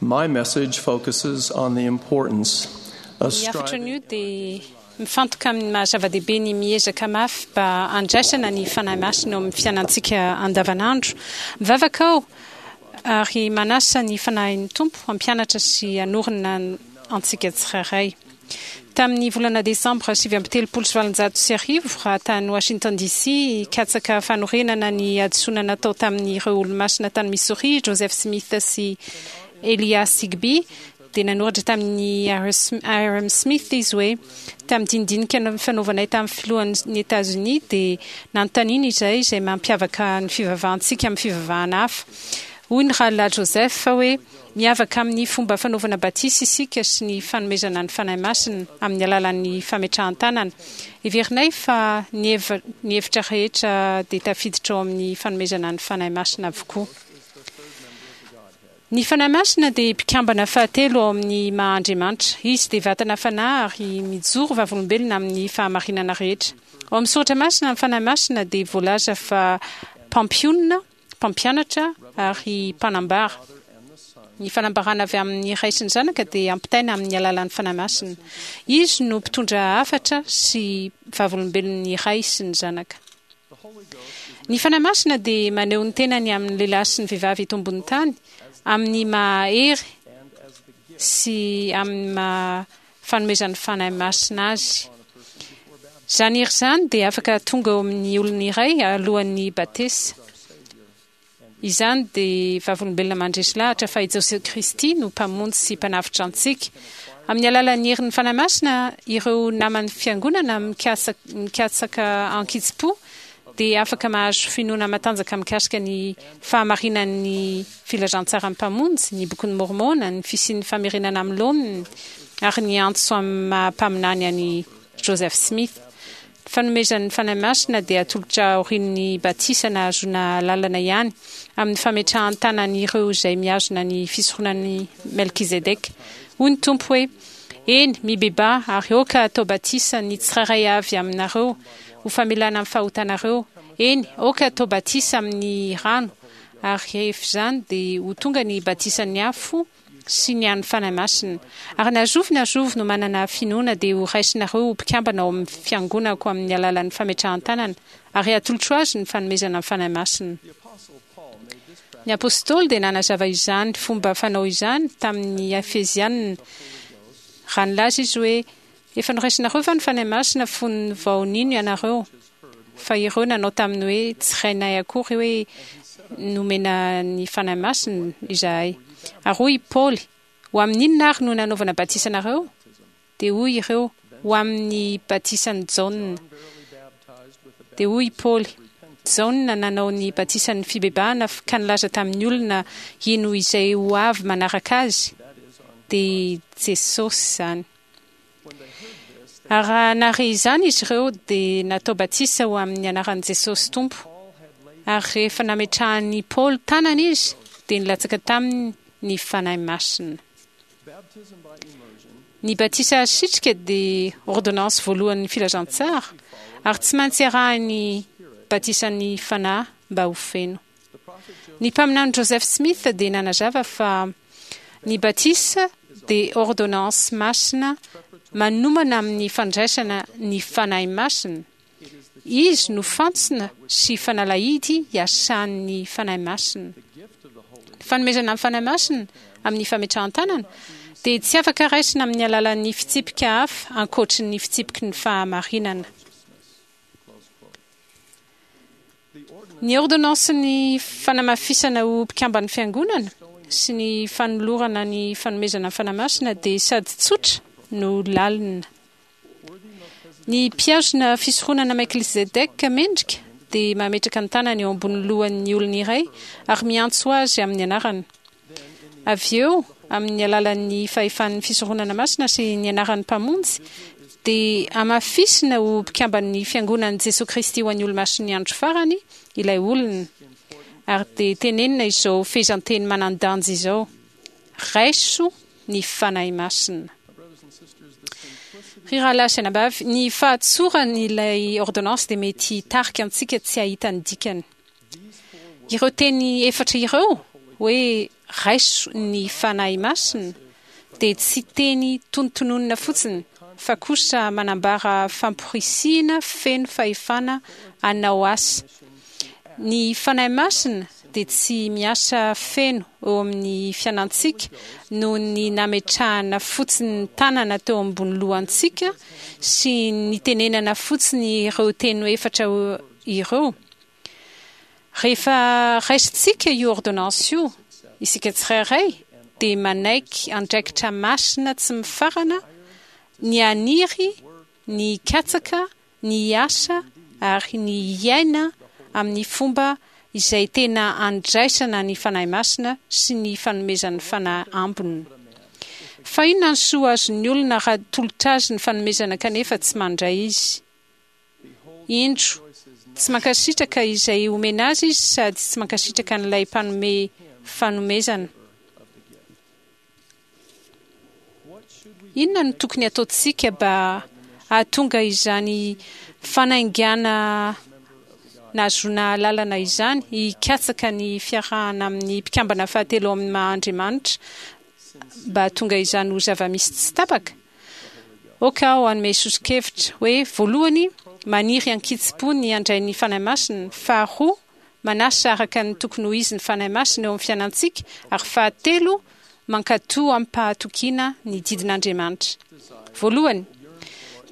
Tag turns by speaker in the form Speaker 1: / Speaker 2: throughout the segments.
Speaker 1: My message focuses on the importance of
Speaker 2: Ny hafatra
Speaker 1: striving
Speaker 2: anio dia mifantoka amin'ny maha zava-dehibe ny miezaka mafy mba handraisana ny Fanahy Masina eo amin'ny fiainantsika andavanandro. Mivavaka aho ary manasa ny Fanahin'ny Tompo hampianatra sy hanorina antsika tsirairay. Tamin'ny volana desambra 1839, raha tany Washington DC hikatsaka fanorenana ny hadisoana natao tamin'ireo Olomasina tany Missouri i Joseph Smith sy Elias Higbee, dia nanoratra tamin'i Hyrum Smith izy hoe, Tamin'ny dinidinika nifanaovanay tamin'ny filohan'i Etazonia dia nanontaniana izahay izay mampiavaka ny fivavahantsika amin'ny fivavahana hafa. Hoy ny Rahalahy Joseph hoe, Miavaka amin'ny fomba fanaovana batisa isika sy ny fanomezana ny Fanahy Masina amin'ny alalan'ny fametrahan-tanana. Heverinay fa ny ny hevitra rehetra dia tafiditra ao amin'ny fanomezana ny Fanahy Masina avokoa. Ny Fanahy Masina dia mpikambana fahatelo ao amin'ny maha Andriamanitra. Izy dia vatana fanahy ary mijoro vavolombelona amin'ny fahamarinana rehetra. Ao amin'ny Soratra Masina ny Fanahy Masina dia voalaza fa mpampionona, mpampianatra ary mpanambara. Ny fanambarana avy amin'ny Ray sy ny Zanaka dia ampitaina amin'ny alalan'ny Fanahy Masina. Izy no mpitondra hafatra sy vavolombelon'ny Ray sy ny Zanaka. Ny Fanahy Masina dia maneho ny tenany amin'ny lehilahy sy ny vehivavy eto ambonin'ny tany amin'ny maha hery sy amin'ny maha fanomezan'ny Fanahy Masina azy. Izany hery izany dia afaka tonga eo amin'ny olona iray alohan'ny batesa. Izany dia vavolombelona mandresy lahatra fa i Jesoa Kristy no Mpamonjy sy Mpanavotra antsika. Amin'ny alalan'ny herin'ny Fanahy Masina, ireo naman'ny Fiangonana mikatsaka ankitsipo dia afaka mahazo finoana matanjaka mikasika ny fahamarinan'ny filazantsaran'ny Mpamonjy, ny Bokin'i Môrmôna, ny fisian'ny famerenana amin'ny laoniny, ary ny antso amin'ny maha-mpaminany an'i Joseph Smith. Ny fanomezan'ny Fanahy Masina dia atolotra aorian'ny batisa nahazoana alalana ihany, amin'ny fametrahan-tanan'ireo izay mihazona ny fisoronan'i Melkizedeka. Hoy ny Tompo hoe, Eny, mibebaha, ary aoka hatao batisa ny tsirairay avy aminareo, ho famelana ny fahotanareo, eny, aoka hatao batisa amin'ny rano, ary rehefa izany dia ho tonga ny batisan'ny afo sy ny an'ny Fanahy Masina. Ary na zovy na zovy no manana finoana dia ho raisinareo ho mpikambana ao amin'ny fiangonako amin'ny alalan'ny fametrahan-tanana, ary hatolotro azy ny fanomezana ny Fanahy Masina. Ny Apostoly dia nanazava izany fomba fanao izany tamin'ny Efesiana, raha nilaza izy hoe, Efa noraisinareo va ny Fanahy Masina fony vao nino ianareo? Fa ireo nanao taminy hoe, Tsy rainay akory hoe nomena ny Fanahy Masina izahay. Ary hoy i Paoly, Ho amin'inona ary no nanaovana batisa anareo? Dia hoy ireo, Ho amin'ny batisan'i Jaona. Dia hoy i Paoly, Jaona nanao ny batisan'ny fibebahana ka nilaza tamin'ny olona hino izay ho avy manaraka azy, dia i Jesosy izany. Ary raha nahare izany izy ireo, dia natao batisa ho amin'ny anaran'i Jesosy Tompo. Ary rehefa nametrahan'i Paoly tanana izy, dia nilatsaka taminy ny Fanahy Masina. Ny batisa asitrika dia ôrdônansy voalohan'ny filazantsara, ary tsy maintsy arahin'ny batisan'ny Fanahy mba ho feno. Ny Mpaminany Joseph Smith dia nanazava fa ny batisa dia ôrdônansy masina manomana amin'ny fandraisana ny Fanahy Masina. Izy no fantsona sy fanalahidy iasan'ny Fanahy Masina. Ny fanomezana ny Fanahy Masina amin'ny fametrahan-tanana dia tsy afaka raisina amin'ny alalan'ny fitsipika hafa ankoatry ny fitsipiky ny fahamarinana. Ny ôrdônansin'ny fanamafisana ho mpikamban'ny Fiangonana sy ny fanolorana ny fanomezana ny Fanahy Masina dia sady tsotra no lalina. Ny mpihazona fisoronana Melkizedeka mendrika dia mametraka ny tanany eo ambony lohan'ny olona iray ary miantso azy amin'ny anarany. Avy eo, amin'ny alalan'ny fahefan'ny fisoronana masina sy ny anaran'ny Mpamonjy, dia hamafisina ho mpikamban'ny Fiangonan'i Jesoa Kristy ho an'ny Olomasin'ny Andro Farany ilay olona, ary dia tenenina izao fehezanteny manan-danja izao, Raiso ny Fanahy Masina. Ry rahalahy sy anabavy, ny fahatsoran'ilay ôrdônansy dia mety hitarika antsika tsy hahita ny dikany. Ireo teny efatra ireo, hoe. Raiso ny Fanahy Masina dia tsy teny tonontononina fotsiny fa kosa manambara famporisihina feno fahefana hanao asa. Ny Fanahy Masina dia tsy miasa feno eo amin'ny fianantsika noho ny nametrahana fotsiny tanana teo ambony lohantsika sy nitenenana fotsiny ireo teny efatra ireo. Rehefa raisintsika io ôrdônansy io, isika tsirairay dia manaiky andraikitra masina tsy mifarana ny haniry, ny hikatsaka, ny hiasa ary ny hiaina amin'ny fomba izay tena andraisana ny Fanahy Masina sy ny fanomezan'ny Fanahy ambiny. Fa inona ny soa azon'ny olona raha atolotra azy ny fanomezana kanefa tsy mandray izy? Indro, tsy mankasitraka izay omena azy izy sady tsy mankasitraka an'ilay mpanome fanomezana. Inona no tokony hataontsika mba hahatonga izany fanaingàna nahazoana alalana izany hikatsaka ny fiarahana amin'ny mpikambana fahatelo ao amin'ny maha-Andriamanitra mba hahatonga izany ho zava-misy tsy tapaka? Aoka aho hanome soso-kevitra hoe, voalohany, maniry an-kitsim-po ny handray ny Fanahy Masina, faharoa, manasa araka ny tokony ho izy ny Fanahy Masina eo amin'ny fiainantsika, ary fahatelo, mankatò amim-pahatokiana ny didin'Andriamanitra. Voalohany,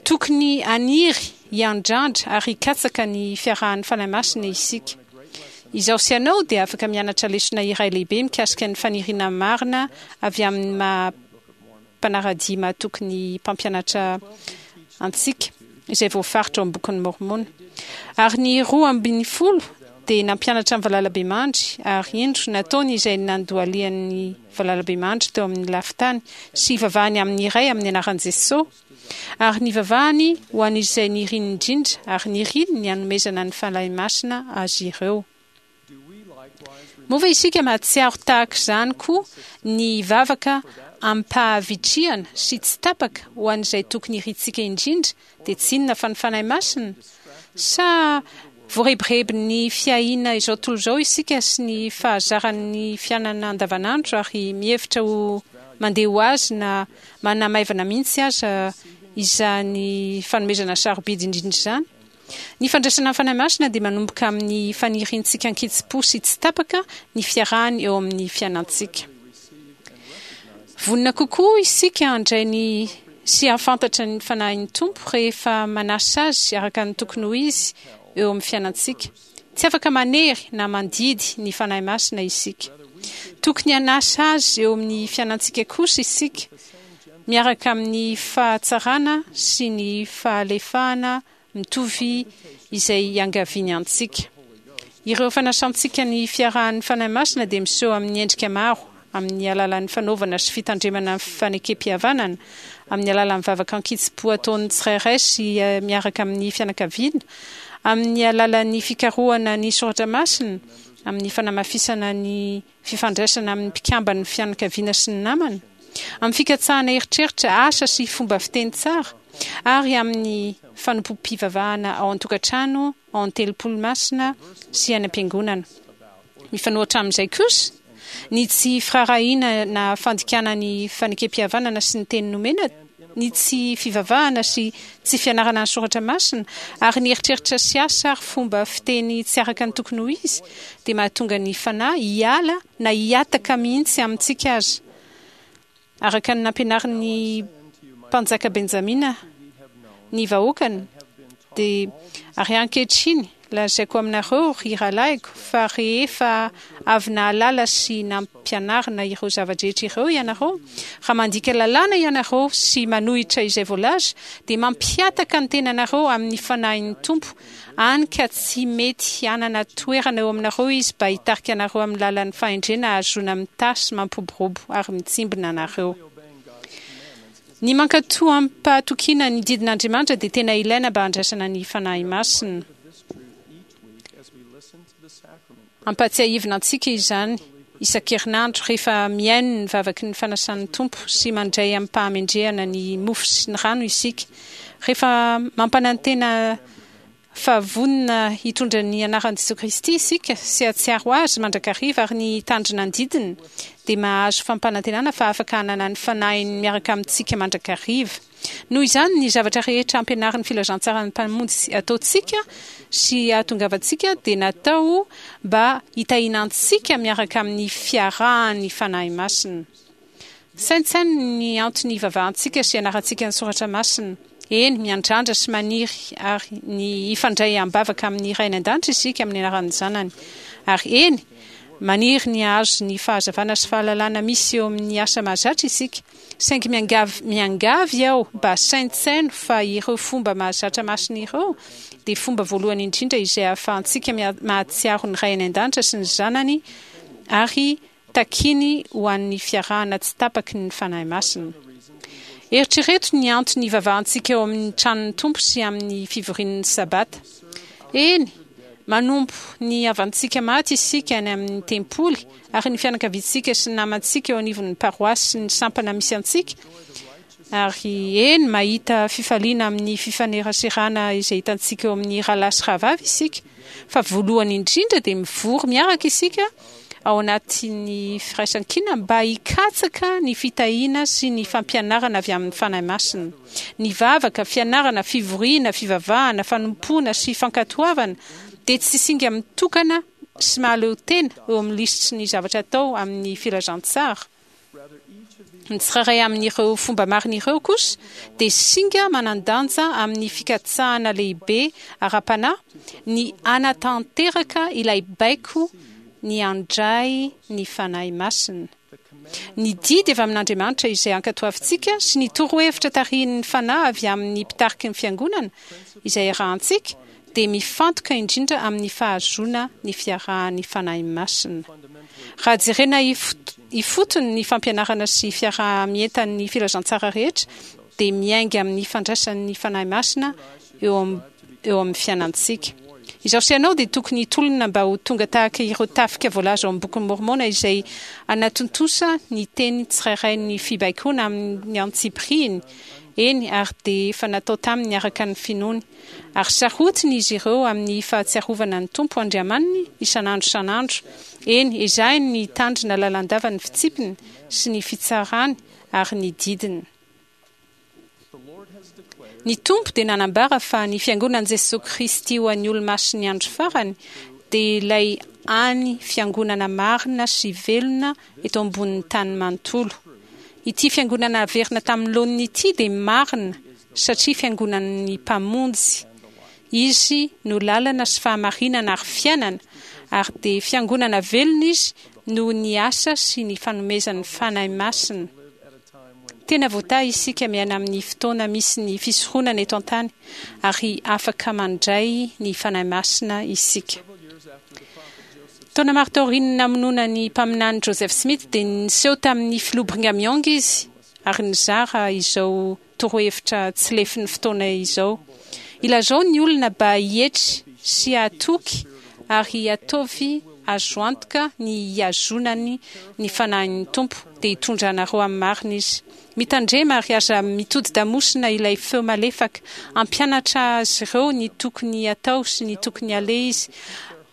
Speaker 2: tokony haniry, hiandrandra ary hikatsaka ny fiarahan'ny Fanahy Masina isika. Izaho sy ianao dia afaka mianatra lesona iray lehibe mikasika ny faniriana marina avy amin'ny maha mpanara-dia mahatoky ny mpampianatra antsika, izay voafaritra ao amin'ny Bokin'i Môrmôna. Ary ny 12 dia nampianatra ny valalabemandry, ary indro, nataony izay nandohalian'ny valalabemandry teo amin'ny lafin-tany, sy hivavahany amin'ny Ray amin'ny anaran'i Jesoa, ary nivavahany ho an'izay niriny indrindra, ary niriny ny hanomezana ny Fanahy Masina azy ireo. Moa ve isika mahatsiaro tahaka izany koa ny hivavaka amim-pahavitrihana sy tsy tapaka ho an'izay tokony irintsika indrindra, dia tsy inona fa ny Fanahy Masina? Sa voarebirebin'ny fiahiana izao tontolo izao isika sy ny fahazaran'ny fiainana andavanandro ary mihevitra ho mandeha ho azy na manamaivana mihitsy aza izany fanomezana sarobidy indrindra izany? Ny fandraisana ny Fanahy Masina dia manomboka amin'ny faniriantsika an-kitsim-po sy tsy tapaka ny fiarahany eo amin'ny fiainantsika. Vonona kokoa isika handray ny sy hahafantatra ny Fanahin'ny Tompo rehefa manasa Azy araka ny tokony ho izy eo amin'ny fiainantsika. Tsy afaka manery na mandidy ny Fanahy Masina isika. Tokony hanasa Azy eo amin'ny fiainantsika kosa isika, miaraka amin'ny fahatsarana sy ny fahalefahana mitovy izay iangaviany antsika. Ireo fanasantsika ny fiarahan'ny Fanahy Masina dia miseho amin'ny endrika maro, amin'ny alalan'ny fanaovana sy fitandremana ny fanekempihavanana, amin'ny alalan'ny vavaka an-kitsim-po ataon'ny tsirairay sy miaraka amin'ny fianakaviana, amin'ny alalan'ny fikarohana ny soratra masina, amin'ny fanamafisana ny fifandraisana amin'ny mpikamban'ny fianakaviana sy ny namana, amin'ny fikatsahana eritreritra, asa sy fomba fiteny tsara, ary amin'ny fanompoam-pivavahana ao an-tokantrano, ao an-telopolo masina sy any am-piangonana. Mifanohitra amin'izay kosa, ny tsy firaharahiana na fandikana ny fanekempihavanana sy ny teny nomena, ny tsy fivavahana sy tsy fianarana ny soratra masina, ary ny eritreritra sy asa ary fomba fiteny tsy araka ny tokony ho izy, dia mahatonga ny Fanahy hiala na hihataka mihitsy amintsika aza. Araka ny nampianarin'ny Mpanjaka Benjamina ny vahoakany, dia, Ary ankehitriny, lazaiko aminareo, ry rahalahiko, fa rehefa avy nahalala sy nampianarina ireo zava-drehetra ireo ianareo, raha mandika lalàna ianareo sy manohitra izay voalaza, dia mampihataka ny tenanareo amin'ny Fanahin'ny Tompo, hany ka tsy mety hanana toerana eo aminareo Izy mba hitarika anareo amin'ny lalan'ny fahendrena hahazoana mitahy sy mampiroborobo ary mitsimbina anareo. Ny mankatò amim-pahatokiana ny didin'Andriamanitra dia tena ilaina mba handraisana ny Fanahy Masina. Ampahatsiahivina antsika izany isan-kerinandro rehefa mihaino ny vavaky ny fanasan'ny Tompo sy mandray amim-pahamendrehana ny mofo sy ny rano isika. Rehefa mampanantena. fa vonona hitondra ny anaran'i Jesoa Kristy isika sy hahatsiaro Azy mandrakariva ary ny hitandrina ny didiny, dia mahazo fampanantenana fa afaka hanana ny Fanahiny miaraka amintsika mandrakariva. Noho izany, ny zavatra rehetra ampianarin'ny filazantsaran'ny Mpamonjy ataontsika sy ahatongavantsika dia natao mba hitahiana antsika miaraka amin'ny fiarahan'ny Fanahy Masina. Saintsaino ny antony ivavahantsika sy ianarantsika ny soratra masina. Eny, miandrandra sy maniry ary ny hifandray am-bavaka amin'ny Ray any An-danitra isika amin'ny anaran'ny Zanany. Ary eny, maniry ny hahazo ny fahazavana sy fahalalana misy eo amin'ny asa mahazatra isika. Saingy miangavy, miangavy aho mba saintsaino fa ireo fomba mahazatra masina ireo dia fomba voalohany indrindra izay ahafahantsika mahatsiaro ny Ray any An-danitra sy ny Zanany ary Takiny ho an'ny fiarahana tsy tapaky ny Fanahy Masina. Eritrereto ny antony ivavahantsika eo amin'ny tranon'ny Tompo sy amin'ny fivorian'ny Sabata. Eny, manompo ny havantsika maty isika any amin'ny tempoly ary ny fianakaviantsika sy ny namantsika eo anivon'ny paroasy sy ny sampana misy antsika, ary eny, mahita fifaliana amin'ny fifaneraserana izay hitantsika eo amin'ny rahalahy sy rahavavy isika. Fa voalohany indrindra dia mivory miaraka isika ao anatin'ny firaisankina mba hikatsaka ny fitahiana sy ny fampianarana avy amin'ny Fanahy Masina. Ny vavaka, fianarana, fivoriana, fivavahana, fanompoana sy fankatoavana dia tsy singa mitokana sy mahaleo tena eo amin'ny lisitry ny zavatra atao amin'ny filazantsara. Ny tsirairay amin'ireo fomba marina ireo kosa dia singa manan-danja amin'ny fikatsahana lehibe ara-panahy ny hanatanteraka ilay baiko ny handray ny Fanahy Masina. Ny didy avy amin'Andriamanitra izay ankatoavintsika sy ny torohevitra tarihin'ny Fanahy avy amin'ny mpitariky ny Fiangonana izay arahantsika dia mifantoka indrindra amin'ny fahazoana ny fiarahan'ny Fanahy Masina. Raha jerena ifotony ny fampianarana sy fiaraha-mientan'ny filazantsara rehetra dia miainga amin'ny fandraisan'ny Fanahy Masina eo eo amin'ny fiainantsika. Izaho sy ianao dia tokony hitolona mba ho tonga tahaka ireo tafika voalaza ao amin'ny Bokin'i Môrmôna izay hanatontosa ny teny tsirairay ny fibaikoana amin'ny antsipiriany, eny, ary dia efa natao taminy araka ny finoany. Ary sarotiny izy ireo amin'ny fahatsiarovana ny Tompo Andriamaniny isan'andro isan'andro, eny, ezahiny ny hitandrina lalandava ny fitsipiny sy ny fitsarany ary ny didiny. Ny Tompo dia nanambara fa ny Fiangonan'i Jesoa Kristy ho an'ny Olomasin'ny Andro Farany dia ilay hany Fiangonana marina sy velona eto ambonin'ny tany manontolo. Ity Fiangonana naverina tamin'ny laoniny ity dia marina satria Fiangonan'ny Mpamonjy. Izy no lalana sy fahamarinana ary fiainana, ary dia Fiangonana velona Izy noho ny asa sy ny fanomezan'ny Fanahy Masina. Tena voatahy isika miaina amin'ny fotoana misy ny fisoronana eto an-tany ary afaka mandray ny Fanahy Masina isika. Taona maro taorian'ny namonoana ny Mpaminany Joseph Smith dia niseho tamin'ny Filoha Brigham Young izy ary nizara izao torohevitra tsy lefin'ny fotoana izao. Ilazao ny olona ba hietry sy hahatoky ary ataovy azo antoka ny hihazonany ny Fanahin'ny Tompo, dia hitondra anareo amin'ny marina Izy. Mitandrema ary aza mitodi-damosina ilay feo malefaka. Hampianatra azy ireo ny tokony hatao sy ny tokony haleha Izy.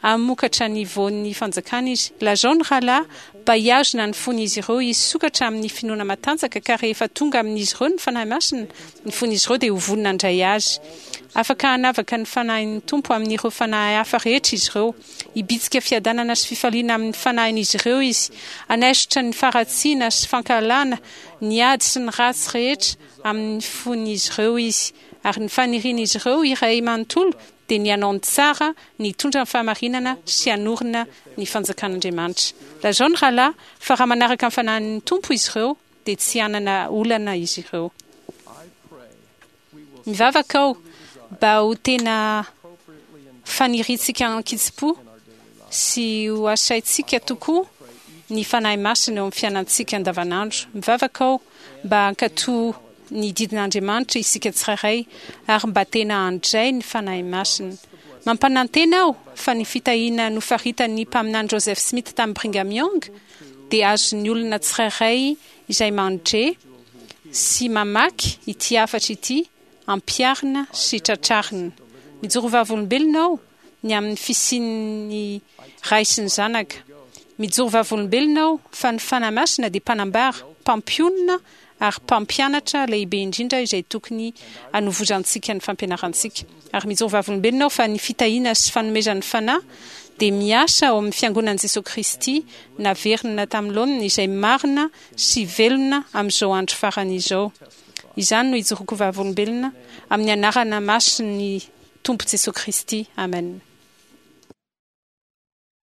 Speaker 2: Hamokatra ny voan'ny fanjakana izy. Lazao ny rahalahy mba hihazona ny fon'izy ireo hisokatra amin'ny finoana matanjaka, ka rehefa tonga amin'izy ireo ny Fanahy Masina, ny fon'izy ireo dia ho vonona handray Azy. Afaka hanavaka ny Fanahin'ny Tompo amin'ireo fanahy hafa rehetra izy ireo. Hibitsika fiadanana sy fifaliana amin'ny fanahin'izy ireo Izy. Hanaisotra ny faharatsiana sy fankahalana, ny ady sy ny ratsy rehetra amin'ny fon'izy ireo Izy. Ary ny fanirian'izy ireo iray manontolo dia ny hanao ny tsara, ny hitondra ny fahamarinana sy hanorina ny fanjakan'Andriamanitra. Lazao ny rahalahy fa raha manaraka ny fanahin'ny Tompo izy ireo, dia tsy hanana olana izy ireo. Mivavaka aho mba ho tena faniriantsika an-kitsim-po sy ho asaintsika tokoa ny Fanahy Masina eo amin'ny fiainantsika andavanandro. Mivavaka aho mba hankatò ny didin'Andriamanitra isika tsirairay ary mba tena handray ny Fanahy Masina. Mampanantena aho fa ny fitahiana nofaritan'ny Mpaminany Joseph Smith tamin'i Brigham Young dia azon'ny olona tsirairay izay mandre sy mamaky ity hafatra ity ampiharina sy tratrarina. Mijoro vavolombelona aho ny amin'ny fisian'ny Ray sy ny Zanaka. Mijoro vavolombelona aho fa ny Fanahy Masina dia mpanambara, mpampionona ary mpampianatra lehibe indrindra izay tokony hanovozantsika ny fampianarantsika. Ary mijoro vavolombelona aho fa ny fitahiana sy fanomezan'ny Fanahy dia miasa ao amin'ny Fiangonan'i Jesoa Kristy naverina tamin'ny laoniny izay marina sy velona amin'izao andro farany izao. Izany no ijoroako vavolombelona amin'ny anarana masin'ny Tompo Jesoa Kristy. Amen.